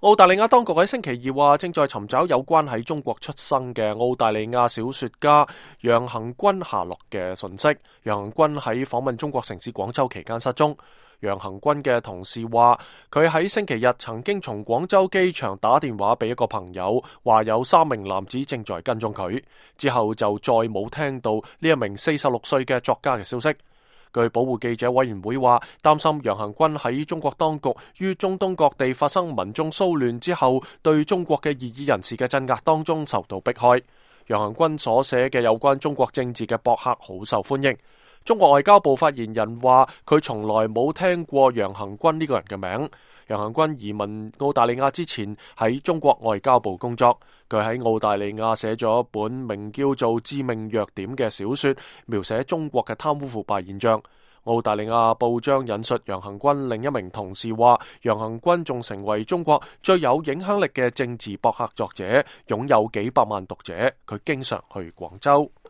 澳大利亞當局喺星期二話，正在尋找有關喺中國出生嘅澳大利亞小說家楊恆均下落嘅訊息。楊恆均喺訪問中國城市廣州期間失蹤。楊恆均嘅同事話，佢喺星期日曾經從廣州機場打電話俾一個朋友，話有3名男子正在跟蹤佢，之後就再冇聽到呢一名46歲嘅作家嘅消息。據保護記者委員會話，擔心楊恆均喺中國當局於中東各地發生民眾騷亂之後，對中國嘅異議人士嘅鎮壓當中受到迫害。楊恆均所寫嘅有關中國政治嘅博客好受歡迎。中國外交部發言人話，佢從來冇聽過楊恆均呢個人嘅名。楊恆均移民澳大利亞之前喺中國外交部工作，佢喺澳大利亞寫咗一本名叫做《致命弱點》嘅小說，描寫中國嘅貪污腐敗現象。澳大利亞報章引述楊恆均另一名同事話，楊恆均仲成為中國最有影響力嘅政治博客作者，擁有幾百萬讀者。佢經常去廣州。